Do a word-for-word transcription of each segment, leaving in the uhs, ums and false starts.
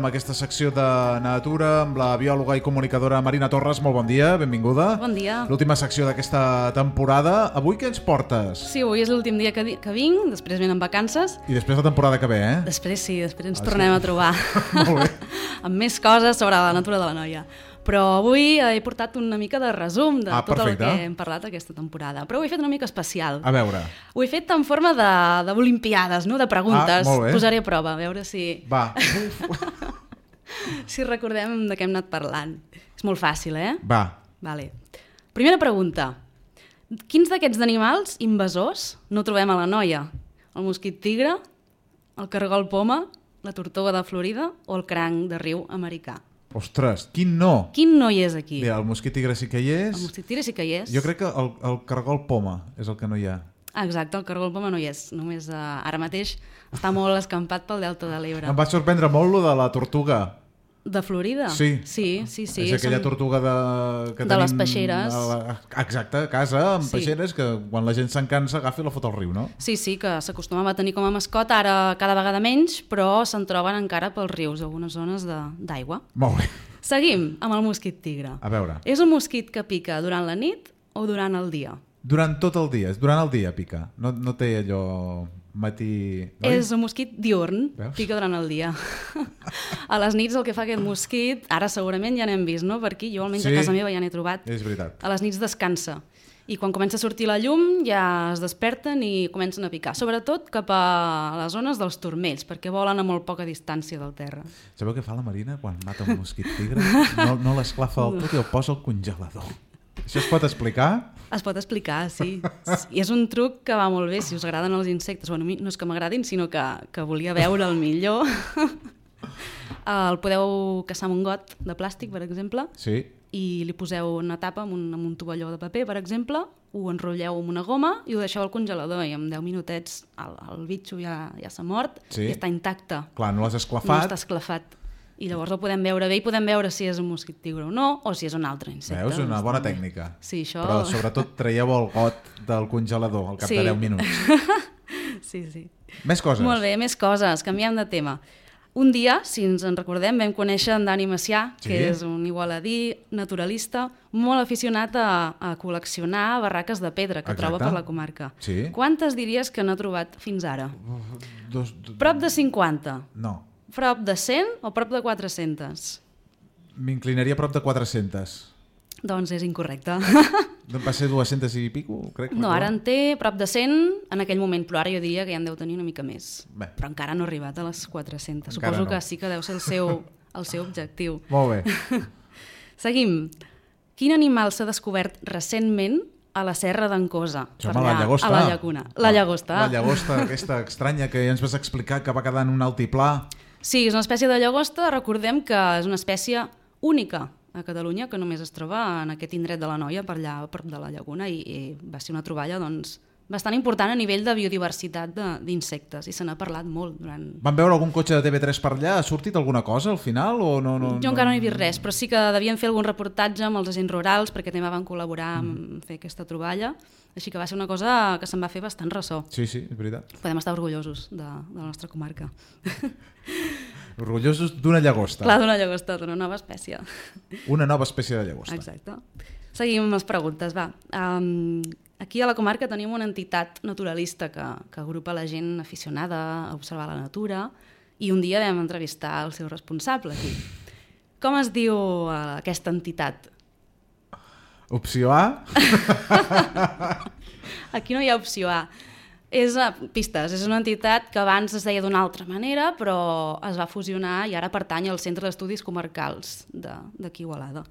amb aquesta secció de natura amb la biòloga i comunicadora Marina Torres. Molt bon dia, benvinguda. Bon dia. L'última secció d'aquesta temporada. Avui què ens portes? Sí, avui és l'últim dia que, que vinc, després venen vacances. I després la temporada que ve, eh? Després sí, després ens ah, tornem sí? a trobar. Molt bé. Amb més coses sobre la natura de l'Anoia. Però avui he portat una mica de resum de ah, tot perfecte. el que hem parlat aquesta temporada. Però ho he fet una mica especial. A veure. Ho he fet en forma de, de olimpiades, no? De preguntes. Ah, molt bé. Posaré a prova, a veure si... Va. si recordem de què hem anat parlant. És molt fàcil, eh? Va. Vale. Primera pregunta. Quins d'aquests animals invasors no trobem a l'Anoia? El mosquit tigre, el cargol poma, la tortuga de Florida o el cranc de riu americà? Ostres, quin no? Quin no hi és aquí? Bé, el mosquit tigre sí que hi és. El mosquit tigre sí que hi és. Jo crec que el, el cargol poma és el que no hi ha. Ah, exacte, el cargol poma no hi és. Només uh, ara mateix està molt escampat pel delta de l'Ebre. Em va sorprendre molt lo de la tortuga. De Florida? Sí. Sí, sí, sí. És aquella són... tortuga de... que de tenim les peixeres. A la... Exacte, a casa, amb sí. peixeres, que quan la gent se'n cansa agafa i la fot al riu, no? Sí, sí, que s'acostumava a tenir com a mascota, ara cada vegada menys, però se'n troben encara pels rius, algunes zones d'aigua. Molt bé. Seguim amb el mosquit tigre. A veure. És un mosquit que pica durant la nit o durant el dia? Durant tot el dia, durant el dia pica. No, no té allò matí... Oi? És un mosquit diurn, Veus? pica durant el dia. A les nits el que fa aquest mosquit, ara segurament ja n'hem vist, no? Per aquí, jo almenys sí, a casa meva ja n'he trobat. És veritat. A les nits descansa. I quan comença a sortir la llum ja es desperten i comencen a picar, sobretot cap a les zones dels turmells, perquè volen a molt poca distància del terra. Sabeu què fa la Marina quan mata un mosquit tigre? No, no l'esclafa del tot i el posa al congelador. Això es pot explicar? Es pot explicar, sí. I és un truc que va molt bé si us agraden els insectes. Bueno, no és que m'agradin, sinó que, que volia veure el millor. El podeu caçar amb un got de plàstic, per exemple, sí. i li poseu una tapa amb un, amb un tovalló de paper, per exemple, ho enrotlleu amb una goma i ho deixeu al congelador i en deu minutets el, el bitxo ja, ja s'ha mort sí. i està intacte. Clar, no l'has esclafat. No està esclafat. I llavors el podem veure bé i podem veure si és un mosquit tigre o no, o si és un altre insecte. Veus? Una bona també. tècnica. Sí, això... Però sobretot traieu el got del congelador al cap sí. de deu minuts. Sí, sí. Més coses. Molt bé, més coses. Canviem de tema. Un dia, si ens en recordem, vam conèixer en Dani Macià, sí. que és un igualadí naturalista, molt aficionat a, a col·leccionar barraques de pedra que Exacte. troba per la comarca. Sí. Quantes diries que n'ha trobat fins ara? Dos, dos... Prop de cinquanta. No. Prop de cent o prop de quatre-centes? M'inclinaria a prop de quatre-centes. Doncs és incorrecte. Va ser dues-centes i pico, crec. No, ara en té prop de cent en aquell moment, però ara jo diria que ja en deu tenir una mica més. Bé. Però encara no ha arribat a les quatre-centes. Encara Suposo no. que sí que deu ser el seu, el seu objectiu. Molt bé. Seguim. Quin animal s'ha descobert recentment a la serra d'en Cosa? Som a la llagosta. A la llacuna. La llagosta. La llagosta, aquesta estranya que ja ens vas explicar que va quedar en un altiplà. Sí, és una espècie de llagosta. Recordem que és una espècie única a Catalunya, que només es troba en aquest indret de l'Anoia, per allà, a prop de la llaguna, i, i va ser una troballa doncs, bastant important a nivell de biodiversitat d'insectes, i se n'ha parlat molt durant... Van veure algun cotxe de T V tres per allà? Ha sortit alguna cosa al final? O no, no, jo encara no he vist res, però sí que devien fer algun reportatge amb els agents rurals, perquè també van col·laborar en mm. fer aquesta troballa, així que va ser una cosa que se'n va fer bastant ressò. Sí, sí, és veritat. Podem estar orgullosos de, de la nostra comarca. Orgullosos d'una llagosta. Clar, d'una llagosta, d'una nova espècie. Una nova espècie de llagosta. Exacte. Seguim amb les preguntes, va. Um, aquí a la comarca tenim una entitat naturalista que, que agrupa la gent aficionada a observar la natura, i un dia vam entrevistar el seu responsable aquí. Com es diu uh, aquesta entitat? Opció A? Aquí no hi ha opció A. És uh, pistes, és una entitat que abans es deia d'una altra manera, però es va fusionar i ara pertany al Centre d'Estudis Comarcals d'aquí Igualada.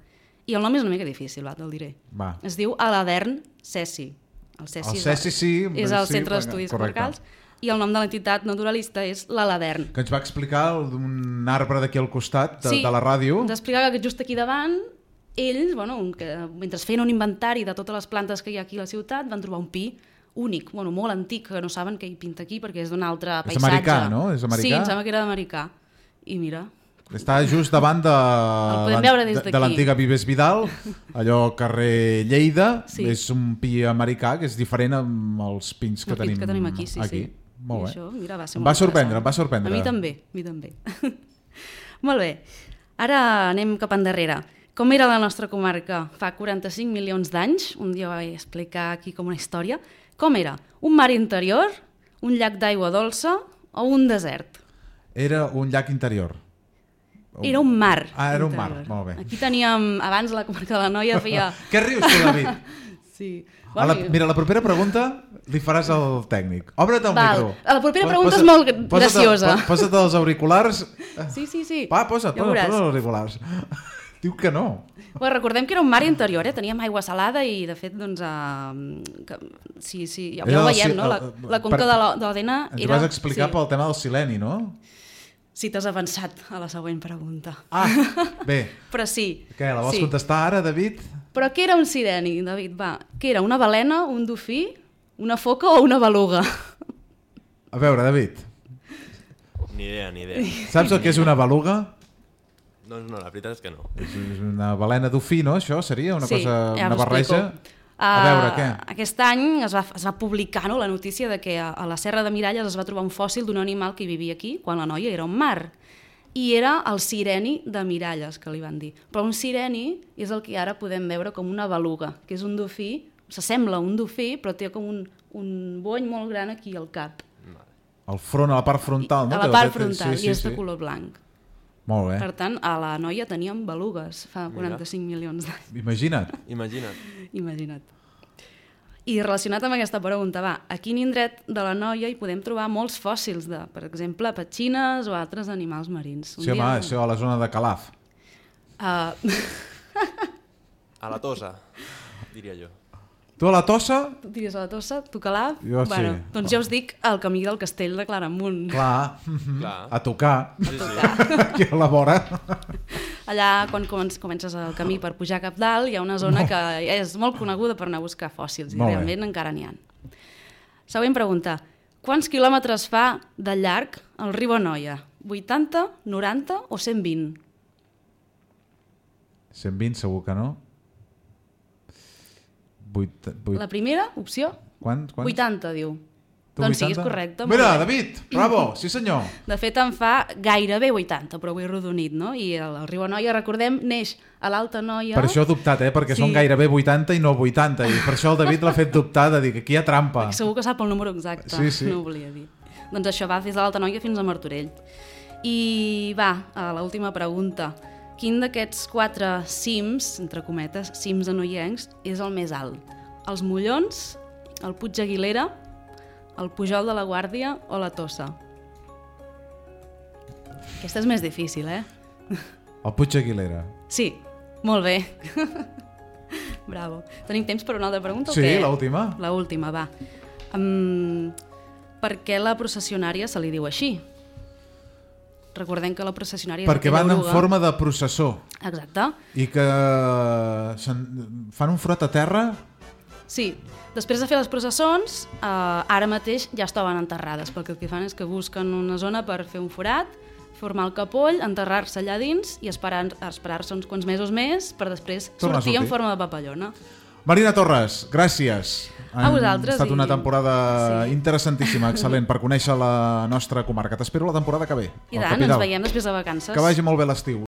I el nom és una mica difícil, va, te'l diré. Va. Es diu Aladern Cesi. El Cesi, el Cesi sí. És el sí, Centre d'Estudis correcte. Comarcals. I el nom de l'entitat naturalista és l'Aladern. Que ens va explicar d'un arbre d'aquí al costat de, sí, de la ràdio. ens explicava que just aquí davant ells, bueno, que mentre feien un inventari de totes les plantes que hi ha aquí a la ciutat, van trobar un pi únic, bueno, molt antic, que no saben què hi pinta aquí perquè és d'un altre paisatge. És americà, no? És americà? Sí, em sembla que era d'americà. I mira... Està just davant de, de, de l'antiga Vives Vidal, allò carrer Lleida, sí. És un pi americà que és diferent amb els pins que, els tenim, pins que tenim aquí. Sí, aquí. Sí. Molt bé. Això, mira, va ser em molt va sorprendre, em va sorprendre. A mi també, a mi també. Molt bé, ara anem cap endarrere. Com era la nostra comarca fa quaranta-cinc milions d'anys? Un dia vaig explicar aquí com una història. Com era? Un mar interior, un llac d'aigua dolça o un desert? Era un llac interior. Era un mar. Ah, era interior. un mar, molt bé. Aquí teníem, abans la comarca de la Noia feia... Què rius tu, David? Sí. A la, mira, la propera pregunta li faràs al tècnic. Obre't el Val. micro. La propera pregunta posa, és molt graciosa. Posa't, posa't els auriculars. Sí, sí, sí. Va, posa't, ja posa't, posa't els auriculars. Diu que no. Bueno, recordem que era un mar interior, eh? Teníem aigua salada i, de fet, doncs... Uh, que, sí, sí, ja, ja ho veiem, no? La, la conca per, de l'Odena era... Ens vas explicar sí. pel tema del sileni, no? Sí, t'has avançat a la següent pregunta. Ah, bé. Però sí. Què, la vols sí. contestar ara, David? Però què era un sireni, David? Va, què era, una balena, un dofí, una foca o una beluga? A veure, David. Ni idea, ni idea. Saps el que és una beluga? Doncs no, la veritat és que no. És una balena dofí, no? Això seria una sí, cosa, ja una barreja? Uh, a veure, què? Aquest any es va, es va publicar, no, la notícia de que a, a la Serra de Miralles es va trobar un fòssil d'un animal que hi vivia aquí, quan la Noia era un mar. I era el sireni de Miralles, que li van dir. Però un sireni és el que ara podem veure com una beluga, que és un dofí, s'assembla a un dofí, però té com un, un bony molt gran aquí al cap. Al front, a la part frontal, no? A la part frontal, sí, sí, i és de sí. color blanc. Molt bé. Per tant, a la Noia teníem belugues fa quaranta-cinc milions d'anys. Imagina't. Imagina't. Imagina't. I relacionat amb aquesta pregunta, va, a quin indret de la Noia hi podem trobar molts fòssils de, per exemple, petxines o altres animals marins? Un sí, home, dia... això a la zona de Calaf. Uh... A la Tossa, diria jo. Tu a la Tossa? Tu diries a la Tossa, tu Calaf? Jo bueno, sí. Doncs ja us dic el camí del castell de Claramunt. Clar, Clar. a tocar. Sí, sí. Aquí a la vora. Allà, quan comences el camí per pujar cap dalt, hi ha una zona que és molt coneguda per anar a buscar fòssils, i molt realment bé. encara n'hi ha. Següent pregunta. Quants quilòmetres fa de llarg el riu Anoia? vuitanta, noranta o cent vint? cent vint segur que no. vuit, vuit... La primera opció? Quants? Quants? vuitanta, diu. Tu doncs vuitanta? sí, és correcte. Mira, David, bravo, sí senyor. De fet, en fa gairebé vuitanta, però ho he rodonit, no? I el, el riu Anoia, recordem, neix a l'Alta Noia... Per això he dubtat, eh? Perquè sí. Són gairebé vuitanta i no vuitanta, i per això el David l'ha fet dubtar de dir que aquí hi ha trampa. Perquè segur que sap el número exacte, sí, sí. no ho volia dir. Doncs això va des de l'Alta Noia fins a Martorell. I va, a l'última pregunta. Quin d'aquests quatre cims, entre cometes, cims anoiencs, és el més alt? Els Mollons, el Puig Aguilera, el Pujol de la Guàrdia o la Tossa? Aquesta és més difícil, eh? El Puig Aguilera. Sí, molt bé. Bravo. Tenim temps per una altra pregunta sí, o què? Sí, l'última. L'última, va. Um, per què la processionària se li diu així? Recordem que la processionària... Perquè van en forma de processó. Exacte. I que fan un frot a terra... Sí. Després de fer les processons, eh, ara mateix ja estaven enterrades, perquè el que fan és que busquen una zona per fer un forat, formar el capoll, enterrar-se allà dins i esperar-se esperar uns quants mesos més per després sortir, sortir en forma de papallona. Marina Torres, gràcies. A vosaltres. Ha estat una i... temporada sí. interessantíssima, excel·lent, per conèixer la nostra comarca. T'espero la temporada que ve. I tant, ens veiem després de vacances. Que vagi molt bé l'estiu.